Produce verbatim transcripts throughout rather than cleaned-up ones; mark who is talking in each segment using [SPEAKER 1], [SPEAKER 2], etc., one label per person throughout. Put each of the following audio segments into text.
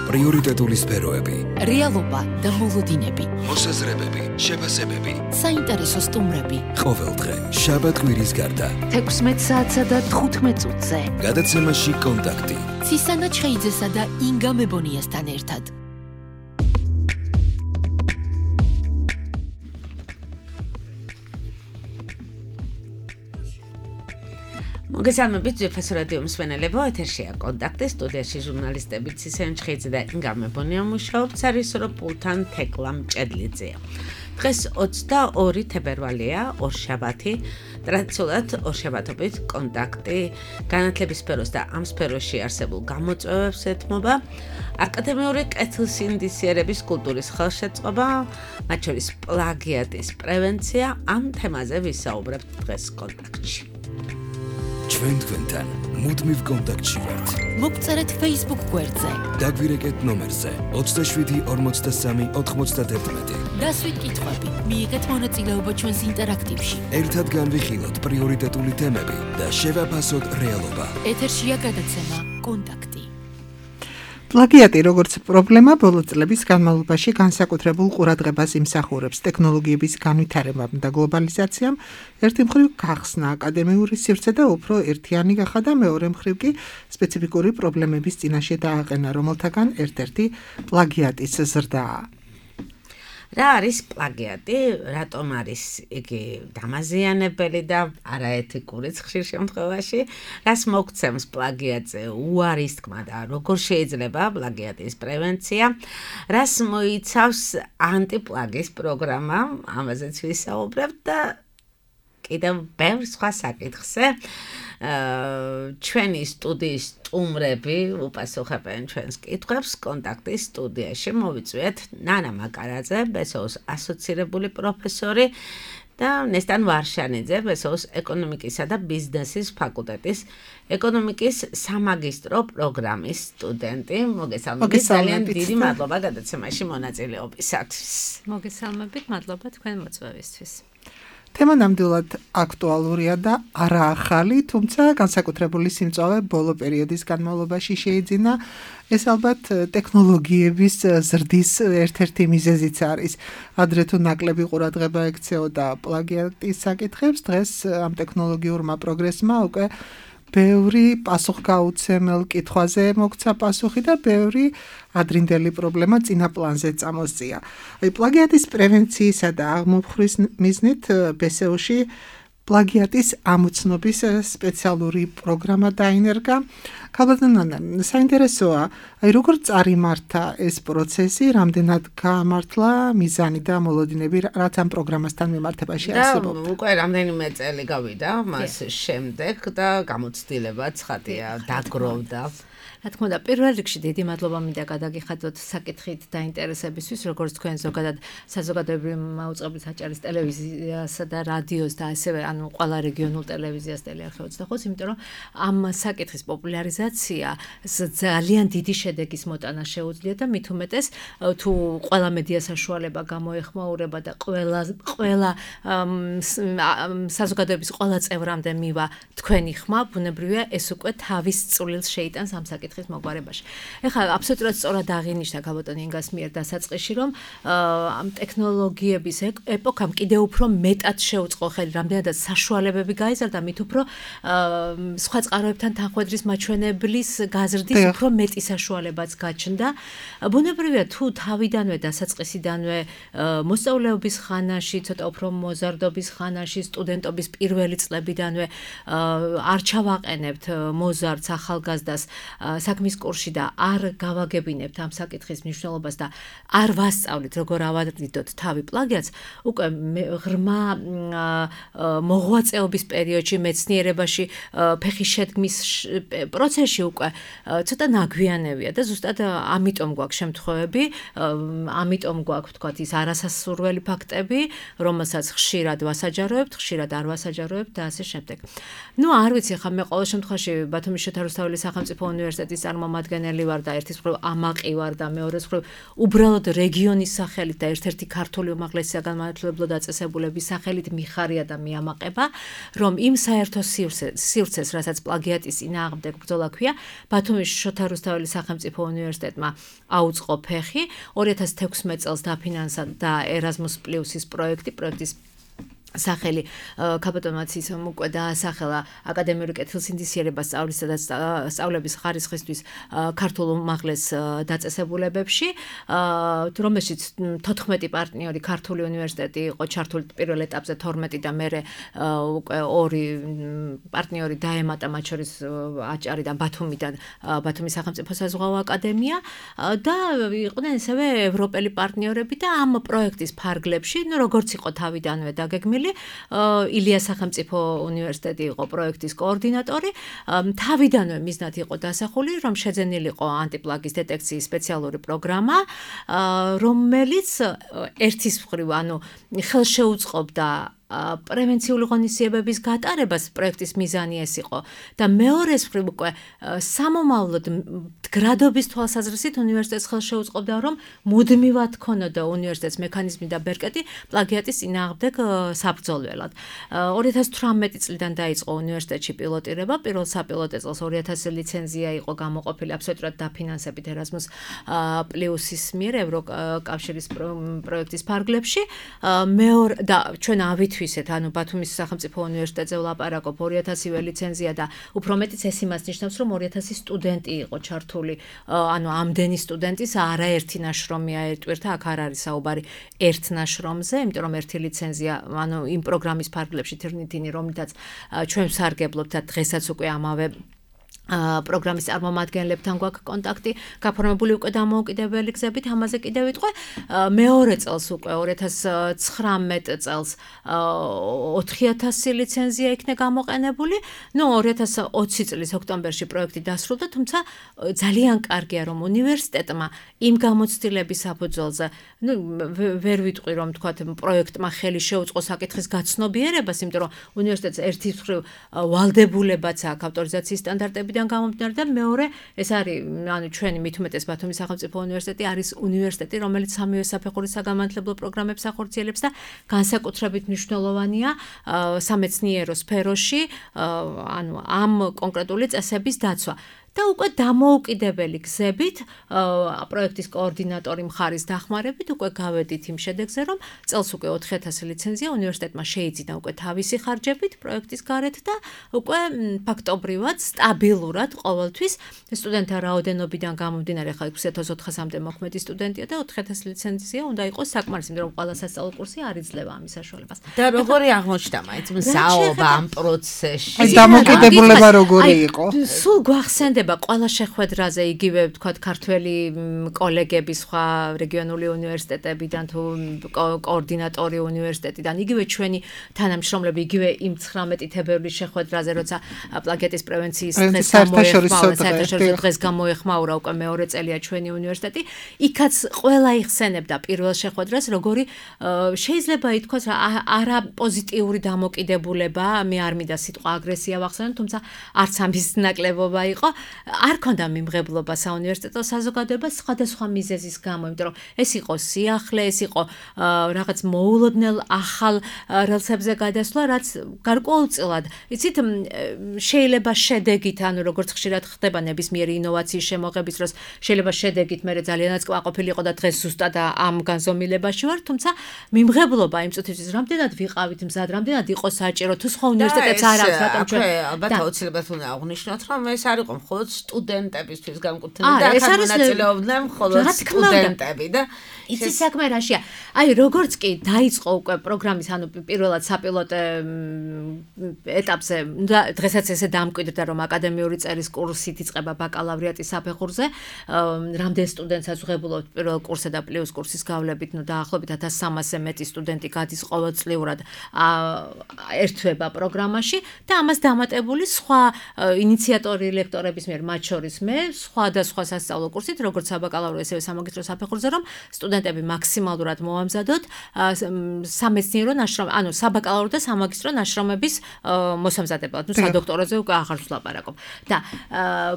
[SPEAKER 1] პრიორიტეტული სფეროები,
[SPEAKER 2] რეალობა და მოლოდინები,
[SPEAKER 1] მოსაზრებები, შეფასებები,
[SPEAKER 2] საინტერესო სტუმრები.
[SPEAKER 1] ყოველდღე შაბათ კვირის გარდა
[SPEAKER 2] თექვსმეტ საათსა და თხუთმეტ წუთზე
[SPEAKER 1] გადაცემაში კონტაქტი
[SPEAKER 2] ცისანა ჩხეიძესა და ინგა მებონიასთან ერთად.
[SPEAKER 3] მოგესალმებით ძვირფას რადიო მსმენელებო, ეთერშია კონტაქტი, სტუდიაში ჟურნალისტები ცისანა ჩხეიძე და ინგა მებონია მუშაობს, არის რო პულთან თეკლა მჭედლიძეა. დღეს ოცდაორი თებერვალია, ორშაბათი, ტრადიციულად ორშაბათობით კონტაქტი განათლების სფეროს და ამ სფეროში არსებულ გამოწვევებს ეთმობა, აკადემიური კეთილსინდისიერების კულტურის ხელშეწყობა, მათ შორის პლაგიატის პრევენცია, ამ თემაზე ვისაუბრებთ დღეს კონტაქტში.
[SPEAKER 1] ჩვენ თქვენთან მუდმივ კონტაქტში ვართ.
[SPEAKER 2] მოგწერეთ Facebook გვერდზე.
[SPEAKER 1] დაგვირეკეთ ნომერზე ოცდაშვიდი ორმოცდასამი ოთხმოცდაათი.
[SPEAKER 2] დასვით კითხვები, მიიღეთ მონაწილეობა ჩვენს ინტერაქტივში.
[SPEAKER 1] ერთად განვიხილოთ პრიორიტეტული თემები და შევაფასოთ რეალობა.
[SPEAKER 2] ეთერშია გადაცემა კონტაქტი.
[SPEAKER 4] პლაგიატი როგორც პრობლემა ბოლო წლების განმავლობაში განსაკუთრებულ ყურადღებას იმსახურებს ტექნოლოგიების განვითარებამ და გლობალიზაციამ ერთი მხრივ გახსნა აკადემიური სივრცე და უფრო ერთიანი გახადა და მეორე მხრივ კი სპეციფიკური პრობლემების წინაშე დააყენა, რომელთაგან ერთ-ერთი პლაგიატის ზრდაა.
[SPEAKER 3] რა არის პლაგიატი, რატომ არის იგი დამაზიანებელი და არაეთიკური ხშირ შემთხვევაში, რას მოგცემს პლაგიატზე უარის თქმა და როგორ შეიძლება პლაგიატის პრევენცია, რას მოიცავს ანტიპლაგის პროგრამა, ამაზეც ვისაუბრებთ და კიდევ ბევრ სხვა საკითხზე. ჩვენი სტუდიის სტუმრები უპასუხებენ ჩვენს კითხვებს კონტაქტის სტუდიაში. მოვიწვიეთ ნანა მაკარაძე, ბესოუს ასოცირებული პროფესორი და ნესტან ვარშანიძე, ბესოუს ეკონომიკისა და ბიზნესის ფაკულტეტის ეკონომიკის სამაგისტრო პროგრამის სტუდენტი. მოგესალმებით, ძალიან დიდი მადლობა გადაცემაში მონაწილეობისათვის.
[SPEAKER 5] მოგესალმებით, მადლობა თქვენ მოწვევისთვის.
[SPEAKER 4] თემა ნამდვილად აქტუალურია და არა ახალი, თუმცა განსაკუთრებული სიმწვავე ბოლო პერიოდის განმავლობაში შეიძინა. ეს ალბათ ტექნოლოგიების ზრდის ერთ-ერთი მიზეზიც არის. ადრე თუ ნაკლები ყურადღება ექცეოდა პლაგიატის საკითხებს, დღეს ამ ტექნოლოგიურმა პროგრესმა უკვე ბევრი პასუხგაუცემელ კითხვაზე მოგცა პასუხი და ბევრი ადრინდელი პრობლემა წინა პლანზე წამოსწია. აი პლაგიატის პრევენციისა და აღმოფხვრის მიზნით ბესეუში პლაგიატის ამოცნობის სპეციალური პროგრამა დაინერგა. ქალბატონანა, საინტერესოა, აი როგორ წარიმართა ეს პროცესი, რამდენად გაამართლა მიზანი და მოლოდინები, რაც ამ პროგრამასთან მიმართებაში არსებობდა.
[SPEAKER 3] და უკვე რამდენიმე წელი გავიდა მას შემდეგ და გამოცდილება ცხადია დაგროვდა.
[SPEAKER 5] რა თქმა უნდა, პირველ რიგში დიდი მადლობა მინდა გადაგიხადოთ საკითხით დაინტერესებისთვის, როგორც თქვენ ზოგადად საზოგადოებრივი მაუწყებლის აჭარის ტელევიზიასა და რადიოს და ასევე ანუ ყველა რეგიონულ ტელევიზიას ტელეარხი ოცდახუთს, იმიტომ რომ ამ საკითხის პოპულარიზაცია ძალიან დიდი შედეგის მოტანა შეუძლია და მით უმეტეს თუ ყველა მედია საშუალება გამოეხმაურება და ყველა ყველა საზოგადოების ყველა წევრამდე მივა თქვენი ხმა, ბუნებრივია ეს უკვე თავის წვლილს შეიტანს ამ საკითხის მოგვარებაში. ეხლა აბსოლუტურად სწორად აღინიშნა ქალბატონ ინგას მიერ დასაწყისში, რომ ამ ტექნოლოგიების ეპოქამ კიდევ უფრო მეტად შეუწყო ხელი, რამდენადაც საშუალებები გაიზარდა, მით უფრო სხვა წყაროებთან თანხვედრის მაჩვენებლის გაზრდის უფრო მეტი საშუალებაც გაჩნდა. ბუნებრივია თუ თავიდანვე დასაწყისიდანვე მოსწავლეობის ხანაში, ცოტა უფრო მოზარდობის ხანაში, სტუდენტობის პირველი წლებიდანვე არ ჩავაყენებთ მოზარდს, ახალგაზრდას საქმის კურსში და არ გავაგებინებთ ამ საკითხის მნიშვნელობას და არ ვასწავლით როგორ ავადიდოთ თავი პლაგიატს, უკვე ღრმა მოღვაწეობის პერიოდში, მეცნიერებაში ფეხის შედგმის პროცესში უკვე ცოტა ნაგვიანებია და ზუსტად ამიტომ გვაქვს შემთხვევები, ამიტომ გვაქვს თქვათ ის არასასურველი ფაქტები, რომელსაც ხშირად ვასაჯაროებთ, ხშირად არ ვასაჯაროებთ და ასე შემდეგ. ნუ არ ვიცი, ხა მე ყოველ შემთხვევაში ბათუმის შოთა რუსთაველის სახელმწიფო უნივერსიტეტის წარმომადგენელი ვარ და ერთის მხრივ ამაყი ვარ და მეორეს მხრივ უბრალოდ რეგიონის სახელით და ერთ-ერთი ქართული უმაღლესი საგანმანათლებლო დაწესებულების სახელით მიხარია და მიამაყება, რომ იმ საერთო სივრცეს, რასაც პლაგიატის წინააღმდეგ ბრძოლა ქალაქია. ბათუმის შოთა რუსთაველის სახელმწიფო უნივერსიტეტმა აუწყო ფეხი, ორი ათას თექვსმეტ წელს დაფინანსა და Erasmus Plus-ის პროექტი, პროექტის სახელი კაპიტონაციის უკვე დაასახელა აკადემიური კეთილსინდისიერება სწავლისა და სწავლების ხარისხისთვის ქართულ უმაღლეს დაწესებულებებში, რომელშიც თოთხმეტი პარტნიორი ქართული უნივერსიტეტი იყო ჩართული პირველ ეტაპზე თორმეტი და მერე უკვე ორი პარტნიორი დაემატა, მათ შორის აჭარიდან, ბათუმიდან, ბათუმის სახელმწიფო საზღვაო აკადემია და იყვნენ ასევე ევროპელი პარტნიორები და ამ პროექტის ფარგლებში, ну როგორც იყო თავიდანვე დაგეგმილი ილიას სახელმწიფო უნივერსიტეტი იყო პროექტის კოორდინატორი. თავიდანვე მიზნად იყო დასახული, რომ შეძენილიყო ანტიპლაგის დეტექციის სპეციალური პროგრამა, რომელიც ერთის მხრივ, ანუ ხელშეუწყობდა პრევენციული ღონისძიებების გატარებას, პროექტის მიზანი ეს იყო და მეორეს მხრივ უკვე სამომავლოდ მდგრადობის თვალსაზრისით უნივერსიტეტს ხელშეუწყობდა, რომ მუდმივად ქონოდა უნივერსიტეტს მექანიზმი და ბერკეტი პლაგიატის წინააღმდეგ საბრძოლველად. ორი ათას თვრამეტი წლიდან დაიწყო უნივერსიტეტში პილოტირება, პირველ საპილოტო წელს ორი ათასი ლიცენზია იყო გამოყოფილი აბსოლუტურად დაფინანსებით Erasmus Plus-ის მიერ ევროკავშირის პროექტის ფარგლებში. მეორე და ჩვენ ავით ვისეთ, ანუ ბათუმის სახელმწიფო უნივერსიტეტზე ვლაპარაკობ ორი ათასივე ლიცენზია და უფრო მეტიც ეს იმას ნიშნავს, რომ ორი ათასი სტუდენტი იყო ჩართული, ანუ ამდენი სტუდენტის არაერთი ნაშრომია ერთვერთა, აქ არ არის საუბარი ერთ ნაშრომზე, იმიტომ რომ ერთი ლიცენზია, ანუ იმ პროგრამის ფარგლებში თირნითინი, რომლითაც ჩვენ ვსარგებლობთ და დღესაც უკვე ამავე პროგრამის წარმომადგენლებთან გვაქვს კონტაქტი, გაფორმებული უკვე დამოუკიდებელი გზებით, ამაზე კიდევ ვიტყვე. მეორე წელს უკვე ორი ათას ცხრამეტ წელს ოთხი ათასი ლიცენზია იქნა გამოყენებული. ნუ ორი ათას ოცი წლის ოქტომბერში პროექტი დასრულდა, თუმცა ძალიან კარგია, რომ უნივერსიტეტმა იმ გამოცდილების საფუძველზე, ნუ ვერ ვიტყვი, რომ თქვათ პროექტმა ხელი შეუწყო საკითხის გაცნობიერებას, იმიტომ რომ უნივერსიტეტს ერთის მხრივ ვალდებულებაც აქვს ავტორიზაციის სტანდარტები გამომდინარე და მეორე ეს არის, ანუ ჩვენი მით უმეტეს ბათუმის სახელმწიფო უნივერსიტეტი არის უნივერსიტეტი, რომელიც სამივე საფეხურის საგამართლებლო პროგრამებს ახორციელებს და განსაკუთრებით მნიშვნელოვანია სამეცნიერო სფეროში, ანუ ამ კონკრეტული წესების დაცვა. და უკვე დამოუკიდებელი გზებით პროექტის კოორდინატორი მხარის დახმარებით უკვე გავედით იმ შედეგზე, რომ წელს უკვე ოთხი ათასი ლიცენზია უნივერსიტეტმა შეიძინა უკვე თავისი ხარჯებით პროექტის გარეთ და უკვე ფაქტობრივად სტაბილურად ყოველთვის სტუდენტთა რაოდენობიდან გამომდინარე, ხა ექვსი ათას ოთხასამდე მოქმედი სტუდენტია და ოთხი ათასი ლიცენზია უნდა იყოს საკმარისი, იმიტომ რომ ყველა სასწავლო კურსი არ იძლევა ამის საშუალებას.
[SPEAKER 3] და როგორი აღმოჩნდა მაინც მსაობა ამ პროცესში?
[SPEAKER 4] აი დამოკიდებულება როგორი იყო?
[SPEAKER 5] სულ გვახსენდება ყველა შეხვედრაზე იგივე ვთქვათ ქართველი კოლეგები სხვა რეგიონული უნივერსიტეტებიდან თუ კოორდინატორი უნივერსიტეტიდან იგივე ჩვენი თანამშრომლები იგივე იმ ცხრამეტი თებერვლის შეხვედრაზე როცა პლაგიატის პრევენციის დღეს გამოეხმაურა დღეს გამოეხმაურა უკვე მეორე წელია ჩვენი უნივერსიტეტი იქაც ყველა იხსენებდა პირველ შეხვედრას როგორი შეიძლება ითქვას არა პოზიტიური დამოკიდებულება მე არ მინდა სიტყვა აგრესია ვახსენო თუმცა არც ამის ნაკლებობა იყო არ ქონდა მიმღებლობა საუნივერსიტეტო საზოგადოებას სხვადასხვა მიზეზის გამო, იმიტომ რომ ეს იყო სიახლე, ეს იყო რაღაც მოულოდნელ ახალ რელსებზე გადასვლა, რაც გარკვეულწილად, იცით, შეიძლება შედეგით, ანუ როგორც ხშირად ხდება ნებისმიერი ინოვაციის შემოღების დროს, შეიძლება შედეგით მე ძალიანაც კვაყოფილი იყო და დღეს ზუსტად ამ განზომილებაში ვარ, თუმცა მიმღებლობა იმ წუთისთვის რამდენად ვიყავით მზად, რამდენად იყო საჭირო, თუ სხვა უნივერსიტეტებს არ აქვს, რატომ ჩვენ
[SPEAKER 3] ალბათ აუცილებლად უნდა აღვნიშნოთ, რომ ეს არ იყო მხოლოდ სტუდენტებისთვის განკუთვნილი და აქ მონაწილეობდნენ მხოლოდ სტუდენტები და
[SPEAKER 5] იცი საქმე რაშია. აი როგორც კი დაიწყო უკვე პროგრამის, ანუ პირველად საპილოტო ეტაპზე, დღესაც ესე დამკვიდრდა, რომ აკადემიური წერის კურსით იწყება ბაკალავრიატის საფეხურზე, რამდენ სტუდენტსაც ვღებულობთ პირველ კურსზე და პლუს კურსის გავლებით, ნუ დაახლოებით ათას სამასზე მეტი სტუდენტი გადის ყოველწლიურად ერთვება პროგრამაში და ამას დამატებული სხვა ინიციატორი ლექტორების მიერ, მათ შორის მე, სხვადასხვა სასწავლო კურსით, როგორც საბაკალავრო, ესევე სამაგისტრო საფეხურზე, რომ სტუდენტები მაქსიმალურად მოამზადოთ სამეცნიერო ნაშრომი, ანუ საბაკალავრო და სამაგისტრო ნაშრომების მოსამზადებლად, ნუ სადოქტოროზე უკვე აღარ ვლაპარაკობ. და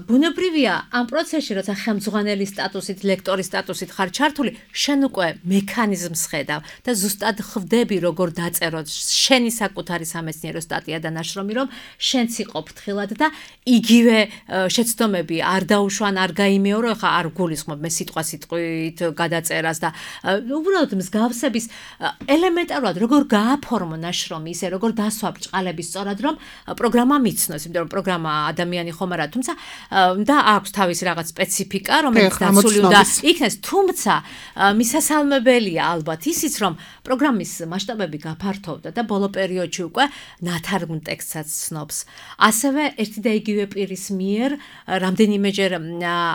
[SPEAKER 5] ბუნებრივია ამ პროცესში, როცა ხელმძღვანელი სტატუსით, ლექტორის სტატუსით ხარ ჩართული, შენ უკვე მექანიზმს ხედავ და ზუსტად ხვდები, როგორ დაწეროთ შენი საკუთარი სამეცნიერო სტატია და ნაშრომი, რომ შენც იყო ფრთხილად და იგივე შეცდომები არ დაუშვან, არ გაიმეორო, ხა არ გულისხმობ მე სიტყვა სიტყვით გადაწერას და უბრალოდ მსგავსების ელემენტარულად როგორ გააფორმო ნაშრომი, ისე როგორ დასვა ბრჭყალები სწორად, რომ პროგრამა მიცნოს, იმიტომ რომ პროგრამა ადამიანი ხომ არა, თუმცა და აქვს თავისი რაღაც სპეციფიკა, რომელიც დაცული უნდა იქნეს, თუმცა მისასალმებელია ალბათ ისიც, რომ პროგრამის მასშტაბები გაფართოვდა და ბოლო პერიოდში უკვე ნათარგმნ ტექსტსაც ცნობს. ასევე ერთი და იგივე პირის მიერ რამდენიმეჯერ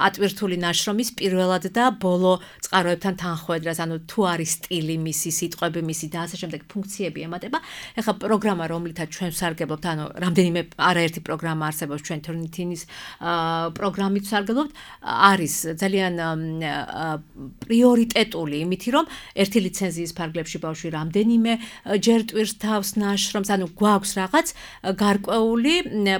[SPEAKER 5] ატვირთული ნაშრომის პირველად და ბოლო წყაროებთან თანხვედრას, ანუ თუ არის სტილი მისი, სიტყვები მისი და ასე შემდეგ ფუნქციები ემატება. ეხლა პროგრამა, რომლითაც ჩვენ ვსარგებლობთ, ანუ რამდენიმე არაერთი პროგრამა არსებობს ჩვენ Turnitin-ის პროგრამით ვსარგებლობთ, არის ძალიან პრიორიტეტული, იმითი რომ ერთი ლიცენზიის ფარგლებში ბავშვი რამდენიმე ჯერ ტვირს თავს ნაშრომს, ანუ გვაქვს რაღაც გარკვეული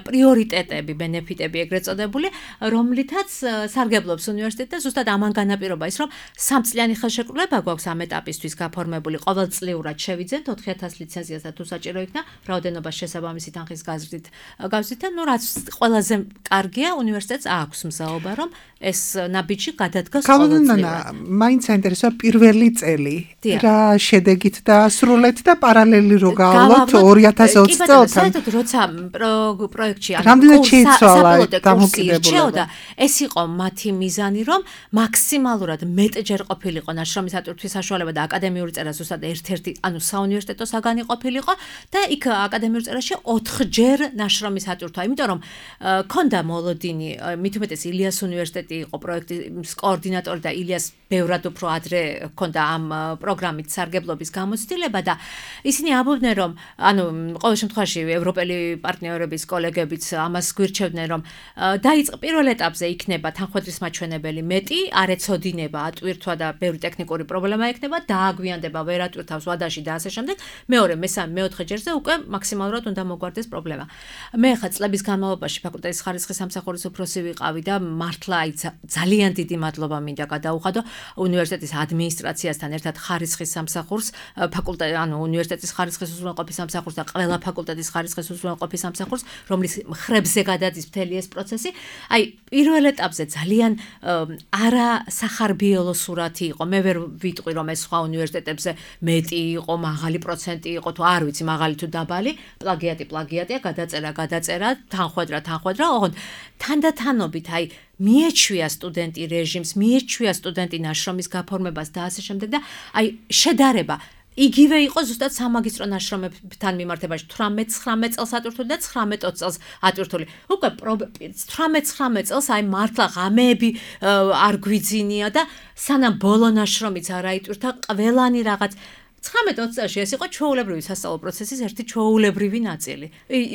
[SPEAKER 5] პრიორიტეტები, ბენეფიტები ეგრეთ წოდებული, რომლითაც სარგებლობს უნივერსიტეტი და ზუსტად ამან განაპირობა ის, რომ სამწლიანი ხელშეკრულება გვაქვს ამ ეტაპისთვის გაფორმებული, ყოველწლიურად შევიძენთ ოთხი ათას ლიცენზიას და თუ საჭირო იქნა, რაოდენობა შესაბამისი თანხის გაზრდით გავზით და ნუ რაც ყველაზე კარგია უნივერსიტეტს აქვს მზაობა, რომ ეს ნაბიჯი გადადგას ყოველწლიურად.
[SPEAKER 4] მაინც საინტერესოა პირველი წელი, რა შედეგით დაასრულეთ და პარალელი რო გავავლოთ ორი ათას ოცი წელთან.
[SPEAKER 5] საერთოდ როცა პროექტში
[SPEAKER 4] რამდენად შეიცვალა დამოკიდებულება?
[SPEAKER 5] ეს იყო მათი მიზანი, რომ მაქსიმალურად მეტჯერ ყოფილიყო ნაშრომის ატვირთვის საშუალება და აკადემიური წერა ზუსტად ერთ-ერთი, ანუ საუნივერსიტეტო საგანი ყოფილიყო და იქ აკადემიურ წერაში ოთხჯერ ნაშრომის ატვირთვა, იმიტომ რომ ქონდა მოლოდინი, მით უმეტეს ილიას უნივერსიტეტი იყო პროექტის კოორდინატორი და ილიას ბევრად უფრო ადრე ქონდა ამ პროგრამით სარგებლობის გამოცდილება და ისინი ამბობდნენ, რომ ანუ ყოველ შემთხვევაში ევროპელი პარტნიორების კოლეგებიც ამას გვირჩევდნენ, რომ დაიწყო პირველ ეტაპზე იქნება თანხმობის მაჩვენებელი მეტი, არ ეცოდინება ატვირთვა და ბევრი ტექნიკური პრობლემა ექნება, დააგვიანდება, ვერ ატვირთავს ვადაში და ასე შემდეგ. მეორე, მესამე, მეოთხე ჯერზე უკვე მაქსიმალურად უნდა მოგვარდეს პრობლემა. მე ხა წლების განმავლობაში ფაკულტეტის ხარისხის სამსახურის უფროსი ვიყავი და მართლა აი ძალიან დიდი მადლობა მინდა გადაუხადო უნივერსიტეტის ადმინისტრაციასთან ერთად ხარისხის სამსახურს, ფაკულტეტ ანუ უნივერსიტეტის ხარისხის უზრუნველყოფის სამსახურს და ყველა ფაკულტეტის ხარისხის უზრუნველყოფის სამსახურს, რომლის ხრებზე გადადის მთელი ეს პროცესი. აი პირველ ეტაპზე ძალიან არა სახარბიელო სურათი იყო. მე ვერ ვიტყვი რომ ეს სხვა უნივერსიტეტებზე მეტი იყო, მაღალი პროცენტი იყო, თუ არ ვიცი მაღალი თუ დაბალი, პლაგიატი პლაგიატია, გადაწერა გადაწერა, თანხwebdriver თანხwebdriver, ოღონდ თანდათანობით აი მიეჩვია სტუდენტი რეჟიმს, მიეჩვია სტუდენტი ნაშრომის გაფორმებას და ასე შემდეგ და აი შედარება იგივე იყო ზუსტად სამაგისტრო ნაშრომებთან მიმართებაში თვრამეტ ცხრამეტ წელს ატვირთული და ცხრამეტ ოცი წელს ატვირთული. უკვე თვრამეტ ცხრამეტ წელს აი მართლა ღამეები არ გვიძინია და სანამ ბოლო ნაშრომიც არ აიტვირთა, ყველანი რაღაც ცხრამეტ ოცი წელში ეს იყო ჩვეულებრივი სასწავლო პროცესის ერთი ჩვეულებრივი ნაწილი.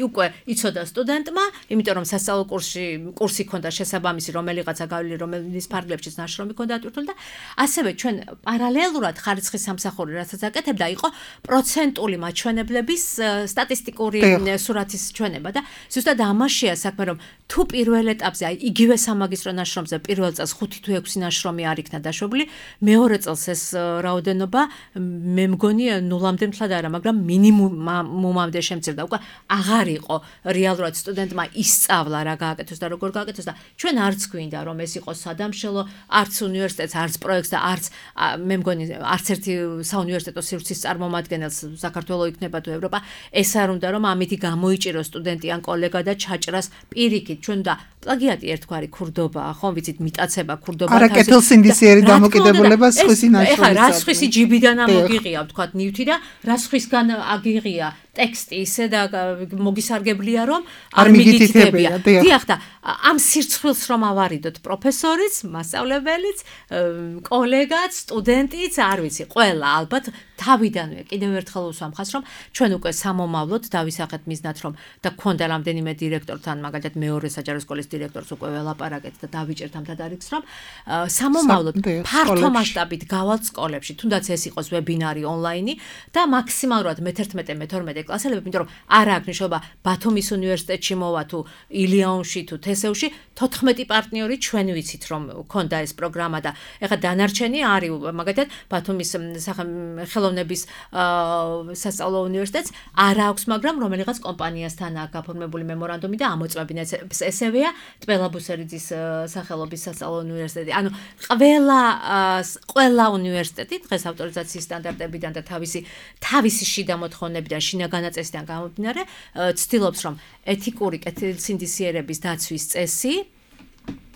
[SPEAKER 5] უკვე იცოდა სტუდენტმა, იმიტომ რომ სასწავლო კურსში კურსი ქონდა შესაბამისი, რომელიღაცა გავლილი, რომელიც ფარგლებშიც ნაშრომი ქონდა ატვირთული და ასევე ჩვენ პარალელურად ხარისხის სამსახური რასაც აკეთებდა, იყო პროცენტული მაჩვენებლების სტატისტიკური სურათის ჩვენება და ზუსტად ამაშია საქმე, რომ თუ პირველ ეტაპზე აი იგივე სამაგისტრო ნაშრომზე პირველ წელს ხუთი თუ ექვსი ნაშრომი არ იქნა დაშვებული, მეორე წელს ეს რაოდენობა მე მგონი ნულამდე მთლად არა, მაგრამ მინიმუმამდე შემცირდა. უკვე აღარ იყო რეალურად სტუდენტმა ისწავლა რა გააკეთოს და როგორ გააკეთოს და ჩვენ არც გვინდა რომ ეს იყოს სადამშელო, არც უნივერსიტეტს, არც პროექტს და არც მე მგონი არც ერთი საუნივერსიტეტო სივრცის წარმომადგენელს საქართველოს იქნება თუ ევროპა ეს არ უნდა რომ ამითი გამოიჭიროს სტუდენტი ან კოლეგა და ჩაჭრას პირიქით. ჩვენ და პლაგიატი ერთგვარი ქურდობაა, ხო ვიცით, მიტაცება ქურდობა
[SPEAKER 4] თავისი. არა კეთილსინდისიერი დამოკიდებულება სხვისი ნაშრომის.
[SPEAKER 5] ეხლა რა სხვისი ჯიბიდან ამოგიღია ვთქვათ ნივთი და რა სხვისგან აგიღია ტექსტი ისე და მოგისარგებლია რომ არ მიგითითებია. დიახ და ამ სირცხვილს რომ ავარიდოთ პროფესორიც, მასწავლებელიც, კოლეგაც, სტუდენტიც, არ ვიცი, ყველა ალბათ თავიდანვე კიდევ ერთხელ ვუსვამხას რომ ჩვენ უკვე სამომავლოდ დავისახეთ მიზნად რომ და გქონდა რამდენიმე დირექტორთან, მაგალითად მეორე საჯარო სკოლის დირექტორს უკვე ველაპარაკეთ და დავიჭერთ ამ თადარიგს რომ სამომავლოდ ფართო მასშტაბით გავალთ სკოლებში, თუნდაც ეს იყოს ვებინარი ონლაინი და მაქსიმალურად მე-თერთმეტე მე-თორმეტე მწვანე კლასელებები, იმიტომ რომ არ აქვს მნიშვნელობა ბათუმის უნივერსიტეტში მოვა თუ ილიონში თუ თესევში, თოთხმეტი პარტნიორი ჩვენ ვიცით რომ ქონდა ეს პროგრამა და ეხლა დანარჩენი არის მაგალითად ბათუმის სახელოვნების სასწავლო უნივერსიტეტს არ აქვს, მაგრამ რომელიღაც კომპანიასთან აქვს გაფორმებული მემორანდუმი და ამოწმებინა ესევეა ტბელაბუსერიძის სახელობის სასწავლო უნივერსიტეტი. ანუ ყველა ყველა უნივერსიტეტი დღეს ავტორიზაციის სტანდარტებიდან და თავისი თავისი შიდა მოთხოვნებიდან, შინაგან წესიდან გამომდინარე, ცდილობს რომ ეთიკური კეთილსინდისიერების დაცვის წესი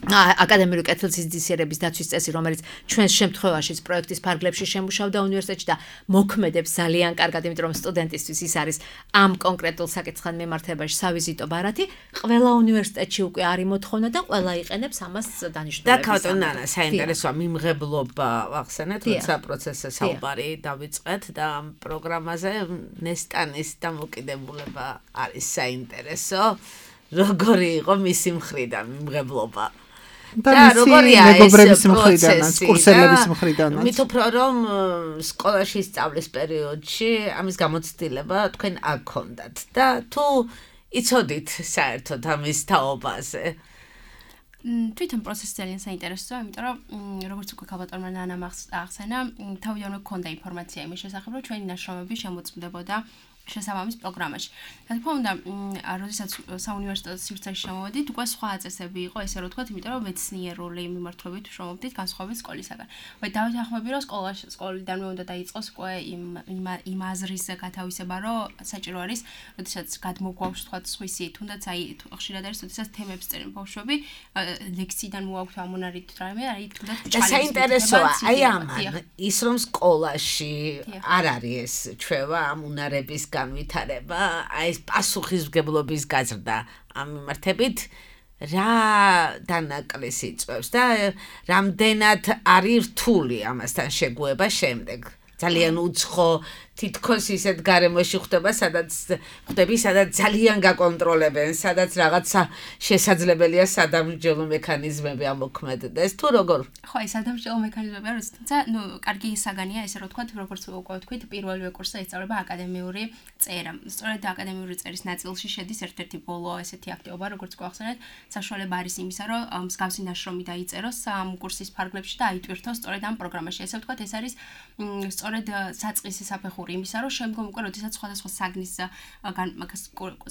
[SPEAKER 5] აკადემიური კეთილსინდისიერების დაცვის წესი, რომელიც ჩვენს შემთხვევაშიც პროექტის ფარგლებში შემუშავდა უნივერსიტეტში და მოქმედებს ძალიან კარგად, იმიტომ რომ სტუდენტისთვის ის არის ამ კონკრეტულ საკითხთან მიმართებაში სავიზიტო ბარათი, ყველა უნივერსიტეტში უკვე არის მოთხოვნა და ყველა იყენებს ამას დანიშნულების.
[SPEAKER 3] და ქავტონანა საინტერესოა მიმღებლობა ახსენეთ, როცა პროცესზე საუბარი დავიწყეთ და ამ პროგრამაზე ნესტანის დამოკიდებულება არის საინტერესო. როგორი იყო მისი მხრიდან მიმღებლობა?
[SPEAKER 4] და როგორია მეგობრების მხრიდანაც, კურსელების მხრიდანაც.
[SPEAKER 3] მით უფრო რომ სკოლაში სწავლის პერიოდში ამის გამოცდილება თქვენ არ გქონდათ და თუ იცოდით საერთოდ ამის თაობაზე?
[SPEAKER 6] თვითონ პროცესი ძალიან საინტერესოა, იმიტომ რომ როგორც უკვე ქალბატონმა ნანამ ახსენა, თავიდანვე გქონდა ინფორმაცია იმის შესახებ, რომ ჩვენი ნაშრომები შემოწმდებოდა შესაბამის პროგრამაში. რა თქმა უნდა, როდესაც საუნივერსიტეტო სივრცეში შემოვედით, უკვე სხვა წესები იყო, ესე რომ ვთქვათ, იმიტომ რომ მეცნიერული მიმართულებით ვშრომობდით განსხვავებით სკოლისაგან. ვაი დავით ახმები რომ სკოლაში სკოლიდანვე უნდა დაიწყოს უკვე იმ იმ აზრის გათავისება, რომ საჭირო არის, როდესაც გადმოგვაქვს ვთქვათ სხვისი, თუნდაც აი ხშირად არის, როდესაც თემებს წერენ ბავშვები, ლექციიდან მოაქვთ ამონარით რამე, აი თუნდაც
[SPEAKER 3] და საინტერესოა, აი ამან ის რომ სკოლაში არ არის ეს ჩვევა ამ უნარების განვითარება, აი ეს პასუხისმგებლობის გაზრდა ამ მიმართებით რა დანაკლისი იწვევს და რამდენად არის რთული ამასთან შეგუება შემდეგ. ძალიან უცხო თითქოს ისეთ გარემოში ხდება, სადაც ხდები, სადაც ძალიან გაკონტროლებენ, სადაც რაღაცა შესაძლებელია სადამსჯელო მექანიზმები ამოქმედდეს. თუ როგორ?
[SPEAKER 6] ხო, აი სადამსჯელო მექანიზმები არის, თუმცა, ნუ, კარგი საგანია, ესე რომ ვთქვათ, როგორც უკვე ვთქვით, პირველივე კურსზე ისწავლება აკადემიური წერა. სწორედ აკადემიური წერის ნაწილში შედის ერთ-ერთი ბოლო ესეთი აქტივობა, როგორც გვახსენეთ, საშუალება არის იმისა, რომ მსგავსი ნაშრომი დაიწეროს ამ კურსის ფარგლებში და აიტვირთოს სწორედ ამ პროგრამაში. ესე ვთქვათ, ეს არის სწორედ საწყისი საფეხური იმისა, რომ შემდგომ უკვე როდესაც სხვადასხვა საგნის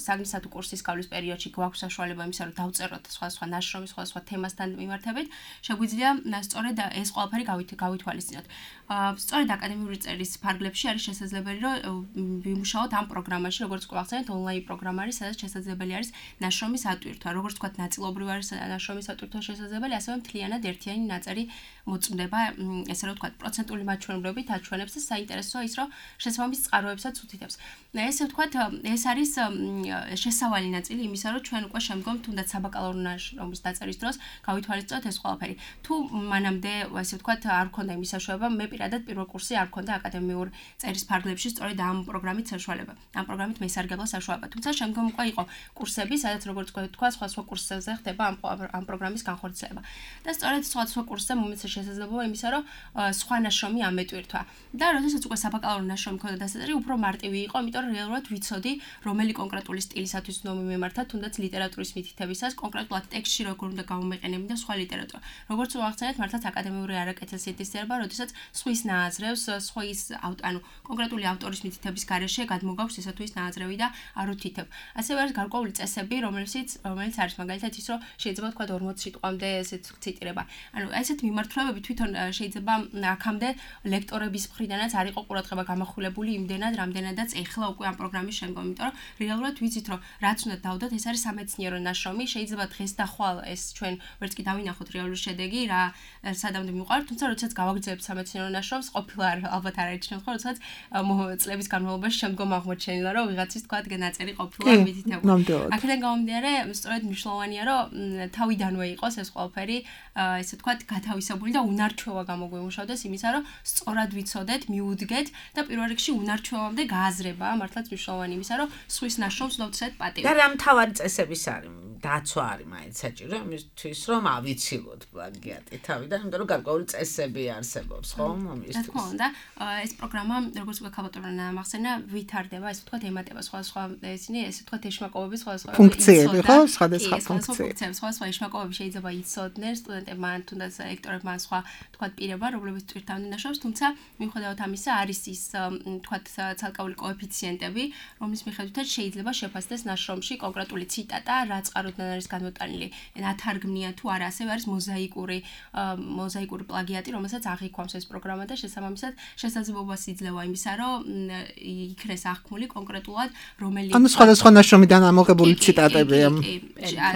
[SPEAKER 6] საგნისა თუ კურსის გავლის პერიოდში გვაქვს საშუალება იმისა, რომ დავწეროთ სხვადასხვა ნაშრომი, სხვადასხვა თემასთან მიმართებით, შეგვიძლია სწორედ ეს ყველაფერი გავითვალისწინოთ. სწორედ აკადემიური წერის ფარგლებში არის შესაძლებელი, რომ ვიმუშაოთ ამ პროგრამაში, როგორც გვახსენეთ, ონლაინ პროგრამა არის, სადაც შესაძლებელი არის ნაშრომის ატვირთვა. როგორც ვთქვათ, ნაწილობრივ არის ნაშრომის ატვირთვა შესაძლებელი, ასევე მთლიანად ერთიანი ნაწერი მოწმდება, ესე რომ ვთქვათ, პროცენტული მაჩვენებლობით აჩვენებს და საინტერესოა ის, რომ შესაბამის წყაროებსაც უთითებს. ესე ვთქვათ, ეს არის შესავალი ნაწილი იმისა, რომ ჩვენ უკვე შემდგომ თუნდაც საბაკალავრო ნაშრომის დაწერის დროს გავითვალისწინოთ ეს ყველაფერი. თუ მანამდე, ესე ვთქვათ, არ გქონდა იმის საშუალება, მე პირადად პირველ კურსზე არ გქონდა აკადემიურ წერის ფარგლებში სწორედ ამ პროგრამით საშუალება. ამ პროგრამით მესარგებლო საშუალება. თუმცა შემდგომ უკვე იყო კურსები, სადაც როგორც ვთქვათ, სხვა სხვა კურსებზე ხდება ამ ამ პროგრამის განხორციელება. და სწორედ სხვა სხვა კურსზე მომეცა შესაძლებლობა იმისა, რომ სხვა ნაშრომი ამეტვირთვა. და როდესაც უკვე საბაკალავრო ნაშრომი მქონდა დასაწყისი, უფრო მარტივი იყო, იმიტომ რომ რეალურად ვიცოდი, რომელი კონკრეტული სტილისათვის უნდა მიმართა, თუნდაც ლიტერატურის მითითებისას, კონკრეტულად ტექსტში როგორ უნდა გამომეყენები და სხვა ლიტერატურა. როგორც ვახსენეთ, მართლაც აკადემიური არაკეთილსინდისიერება, როდესაც სხვის ნააზრევს, სხვის ანუ კონკრეტული ავტორის მითითების გარეშე გადმოგავს ისე თუ ის ნააზრევი და არ უთითებ. ასევე არის გარკვეული წესები, რომელიც რომელიც არის მაგალითად ის, რომ შეიძლება თქვა ორმოცი სიტყვამდე ესეთ ციტირება. ანუ ესეთ მიმართულებები თვითონ შეიძლება აქამდე ლექტორების მხრიდანაც არ იყო ყურადღება გამახვილებული იმდენად, რამდენადაც ეხლა უკვე ამ პროგრამის შემდგომ, იმიტომ რომ რეალურად ვიცით, რომ რაც უნდა დავდოთ, ეს არის სამეცნიერო ნაშრომი, შეიძლება დღეს და ხვალ ეს ჩვენ ვერც კი დავინახოთ რეალური შედეგი, რა სადამდე მიყვართ, თუმცა როდესაც გავაგრძელებთ სამეცნიერო ნაშრომს, ყოფილა ალბათ არ არიჩნევთ, ხო, როდესაც წლების განმავლობაში შემდგომ აღმოჩენილა, რომ ვიღაცის თქვა ნაწერი ყოფილა მითითებული. აქედან გამომდინარე, სწორედ მნიშვნელოვანია, რომ თავიდანვე იყოს ეს ყველაფერი, ესე ვთქვათ, გათავისებული და უნარჩვევა გამოგვიმუშავდეს იმისა, რომ სწორად ვიცოდეთ, მიუდგეთ და პირველ რიგში უნარჩვევამდე გააზრება, მართლაც მნიშვნელოვანი იმისა, რომ სხვის ნაშრომს უნდა ვცეთ პატივი.
[SPEAKER 3] და რა მთავარი წესების არის? დაცვა არის მაინც საჭირო იმისთვის, რომ ავიცილოთ პლაგიატი თავის თავიდან, იმიტომ რომ გარკვეული წესები არსებობს, ხო?
[SPEAKER 6] რა თქმა უნდა, ეს პროგრამა, როგორც უკვე ქალბატონმა მახსენა, ვითარდება, ესე ვთქვათ, ემატება სხვადასხვა ისინი, ესე ვთქვათ, ეშმაკობები, სხვადასხვა
[SPEAKER 4] ფუნქციები, ხო? სხვადასხვა
[SPEAKER 6] ფუნქციები, სხვადასხვა ეშმაკობები შეიძლება იცოდნენ სტუდენტებმა, თუნდაც ლექტორებმა, სხვა ვთქვათ, პირებმა, რომლებიც ტვირთავდნენ ნაშრომს, თუმცა მიუხედავად ამისა, არის ის ვთქვათ, ცალკეული კოეფიციენტები, რომლის მიხედვითაც შეიძლება შეფასდეს ნაშრომში კონკრეტული ციტატა, რა წყაროდან არის განმოტანილი, ნათარგმნია თუ არა, ასევე არის მოზაიკური მოზაიკური პლაგიატი, რომელსაც აღიქვამს ეს პროგრამა და შესაბამისად შესაძლებლობას იძლევა იმისა, რომ იქნეს აღქმული კონკრეტულად რომელი
[SPEAKER 4] ანუ სხვადასხვა ნაშრომიდან ამოღებული ციტატები ამ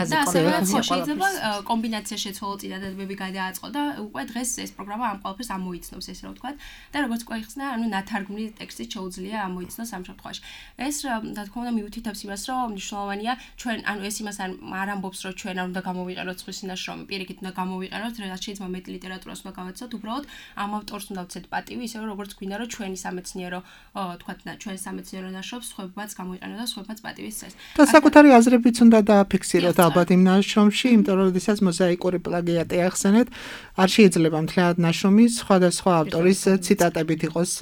[SPEAKER 6] და ასევე შეიძლება კომბინაცია შეცვალო ციტატები გადააწყო და უკვე დღეს ეს პროგრამა ამ ყველაფერს ამოიცნობს, ესე რომ ვთქვათ, და როგორც უკვე იხსნა, ანუ ნათარგმნი ტექსტი შეუძლია ამოიცნოს ამ შემთხვევაში. ეს რა თქმა უნდა მიუთითებს იმას, რომ მნიშვნელოვანია ჩვენ, ანუ ეს იმას არ ამბობს, რომ ჩვენ არ უნდა გამოვიყენოთ სხვისი ნაშრომი, პირიქით უნდა გამოვიყენოთ, რაც შეიძლება მეტ ლიტერატურას უნდა გავაცოთ, უბრალოდ ამ ავტორს უნდა ვცეთ პატივი, ისე როგორც გვინდა, რომ ჩვენი სამეცნიერო, თქვათ, ჩვენ სამეცნიერო ნაშრომს სხვებმაც გამოვიყენოთ და სხვებმაც პატივი სცეს.
[SPEAKER 4] და საკუთარი აზრებიც უნდა დააფიქსიროთ ალბათ იმ ნაშრომში, იმიტომ რომ როდესაც მოზაიკური პლაგიატი ახსენეთ, არ შეიძლება მთლიანად ნაშრომის სხვადასხვა ავტორის ციტატებით იყოს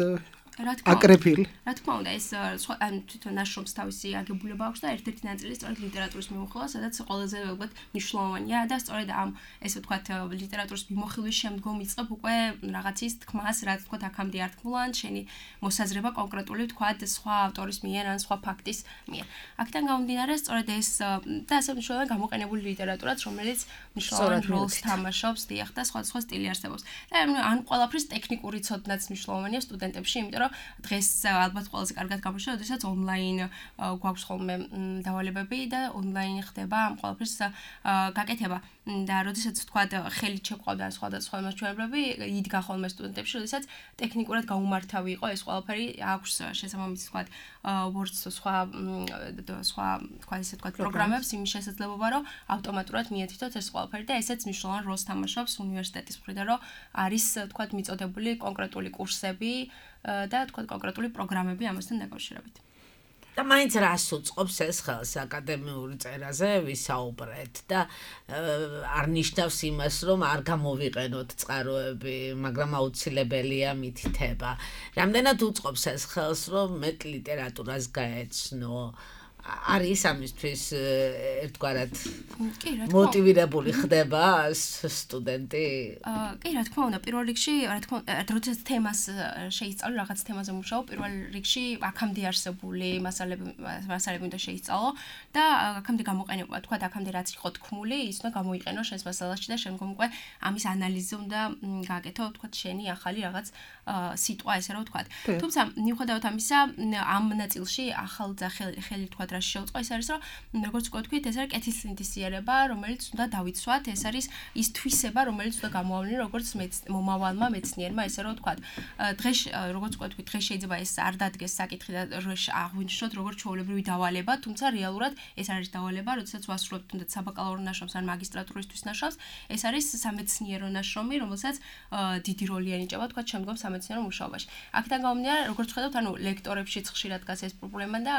[SPEAKER 4] აკრეფილი.
[SPEAKER 6] რა თქმა უნდა, ეს ან თვითონ ნაშრომს თავისი აგებულება აქვს და ერთ-ერთი ნაწილი სწორედ ლიტერატურის მიმოხილვა, სადაც ყველაზე ალბათ მნიშვნელოვანია და სწორედ ამ ესე ვთქვათ ლიტერატურის მიმოხილვის შემდგომ იწყებ უკვე რაღაცის თქმას, რაც ვთქვათ აქამდე არ თქმულან, შენი მოსაზრება კონკრეტული ვთქვათ სხვა ავტორის მიერ ან სხვა ფაქტის მიერ. აქედან გამომდინარე, სწორედ ეს და ასე მნიშვნელოვანი გამოყენებული ლიტერატურაც, რომელიც მნიშვნელოვან როლს თამაშობს, დიახ, და სხვადასხვა სტილი არსებობს. და ან ყველაფრის ტექნიკური ცოდნაც მნიშვნელოვანია სტუდენტებში, იმიტომ რომ დღეს ალბათ ყველაზე კარგად გამოჩნდა, როდესაც ონლაინ გვაქვს ხოლმე დავალებები და ონლაინ ხდება ამ ყველაფრის გაკეთება. და როდესაც ვთქვათ, ხელით შეყვავდა სხვადასხვა მასშტაბები, იდგა ხოლმე სტუდენტებში, როდესაც ტექნიკურად გაუმართავი იყო ეს ყველაფერი, აქვს შესაბამისი ვთქვათ, Word სხვა სხვა თქვა ისე ვთქვათ, პროგრამებს იმის შესაძლებლობა, რომ ავტომატურად მიეთითოთ ეს ყველაფერი და ესეც მნიშვნელოვან როლს თამაშობს უნივერსიტეტის მხრიდან, რომ არის ვთქვათ, მიწოდებული კონკრეტული კურსები და თქვა კონკრეტული პროგრამები ამასთან დაკავშირებით.
[SPEAKER 3] და მაინც რას უწყობს ეს ხელს აკადემიური წერაზე ვისაუბრეთ და არ ნიშნავს იმას, რომ არ გამოვიყენოთ წყაროები, მაგრამ აუცილებელია მითითება. რამდენად უწყობს ეს ხელს, რომ მეტ ლიტერატურას გაეცნო? არის ამისთვის ერთგვარად მოტივირებული ხდება სტუდენტი?
[SPEAKER 6] კი, რა თქმა უნდა, პირველ რიგში, რა თქმა უნდა, როდესაც თემას შეისწავლო, რაღაც თემაზე მუშაობ, პირველ რიგში აქამდე არსებული მასალები მასალები უნდა შეისწავლო და აქამდე გამოყენება, თქვა, აქამდე რაც იყო თქმული, ის უნდა გამოიყენო შენს მასალაში და შემდგომ უკვე ამის ანალიზი უნდა გააკეთო, თქვა, შენი ახალი რაღაც სიტყვა, ესე რომ ვთქვა. თუმცა, მიუხედავად ამისა, ამ ნაწილში ახალ და ხელი თქვა რა შეუწყო, ეს არის რომ როგორც ვთქვით, ეს არის კეთილსინთეზიერება, რომელიც უნდა დავიცვათ, ეს არის ის თვისება, რომელიც უნდა გამოავლინო როგორც მომავალმა მეცნიერმა, ესე რომ ვთქვათ. დღეს როგორც ვთქვით, დღეს შეიძლება ეს არ დადგეს საკითხი და აღვნიშნოთ როგორც ჩვეულებრივი დავალება, თუმცა რეალურად ეს არის დავალება, როდესაც ვასრულებთ თუნდაც საბაკალავრო ნაშრომს ან მაგისტრატურისთვის ნაშრომს, ეს არის სამეცნიერო ნაშრომი, რომელსაც დიდი როლი ენიჭება, ვთქვათ, შემდგომ სამეცნიერო მუშაობაში. აქედან გამომდინარე, როგორც ხედავთ, ანუ ლექტორებშიც ხშირად დგას ეს პრობლემა და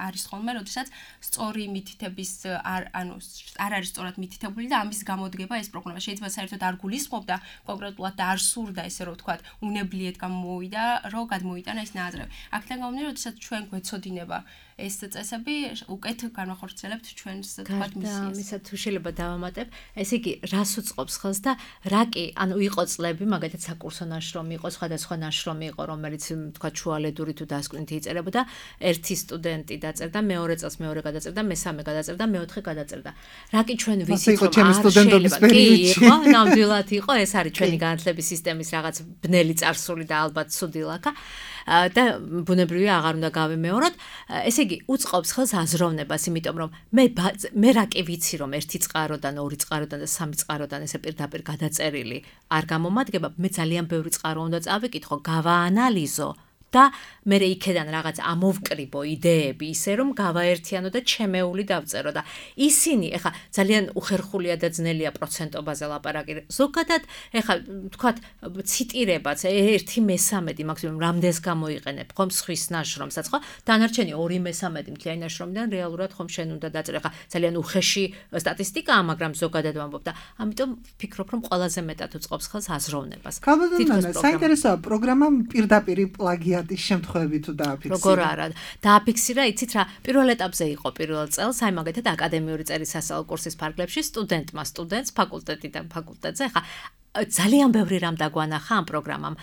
[SPEAKER 6] არის ხოლმე, როდესაც სწორი მითითების არ ანუ არ არის სწორად მითითებული და ამის გამოდგება ეს პროგრამა შეიძლება საერთოდ არ გულისხმობდა კონკრეტულად და არ სურდა ესე რომ ვთქვათ, უნებლიეთ გამოვიდა, რომ გადმოიტანა ეს ნაადრევი. აქედან გამომდინარე, როდესაც ჩვენ გვეცოდინება ეს წესები, უკეთ განვახორციელებთ ჩვენს თქვათ მისიას.
[SPEAKER 5] ამისა თუ შეიძლება დავამატებ, ესე იგი, რას უწყობს ხელს და რა კი, ანუ იყო წლები, მაგალითად საკურსო ნაშრომი იყო, სხვადასხვა ნაშრომი იყო, რომელიც თქვათ შუალედური თუ დასკვნითი იწერებოდა, ერთი სტუდენტი დაწერდა, მეორე წელს მეორე გადაწერდა, მესამე გადაწერდა, მეოთხე გადაწერდა. რა კი ჩვენ ვიცით, რომ არ შეიძლება, კი იყო, ნამდვილად იყო, ეს არის ჩვენი განათლების სისტემის რაღაც ბნელი წარსული და ალბათ ცუდი ლაქა. და ბუნებრივია აღარ უნდა გავიმეოროთ. ესე იგი, უწყობს ხელს აზროვნებას, იმიტომ რომ მე მე რა კი ვიცი, რომ ერთი წყაროდან, ორი წყაროდან და სამი წყაროდან ესე პირდაპირ გადაწერილი არ გამომადგება, მე ძალიან ბევრი წყარო უნდა წავიკითხო, გავაანალიზო და მე იქედან რაღაც ამოვკრიბო იდეები ისე რომ გავაერთიანო და ჩემეული დავწერო და ისინი ეხა ძალიან უხერხულია და ძნელია პროცენტობაზე ლაპარაკი ზოგადად ეხა თქვათ ციტირებაც ერთი მესამედი მაქსიმუმ რამდენს გამოიყენებ ხომ სხვის ნაშრომსაც ხო დანარჩენი ორი მესამედი მთლიანი ნაშრომიდან რეალურად ხომ შენ უნდა დაწერე ეხა ძალიან უხეში სტატისტიკაა მაგრამ ზოგადად ვამბობ და ამიტომ ვფიქრობ რომ ყველაზე მეტად უწყობს ხელს აზროვნებას
[SPEAKER 4] თითქოს საინტერესოა პროგრამამ პირდაპირ პლაგიატის შემთხვევები თუ დააფიქსირა
[SPEAKER 5] როგორ არა დააფიქსირა იცით რა პირველ ეტაპზე იყო პირველ წელს აი მაგათად აკადემიური წერის სასწავლო კურსის ფარგლებში სტუდენტმა სტუდენტს ფაკულტეტიდან ფაკულტეტზე ხა ძალიან ბევრი რამ დაგვანახა ამ პროგრამამ.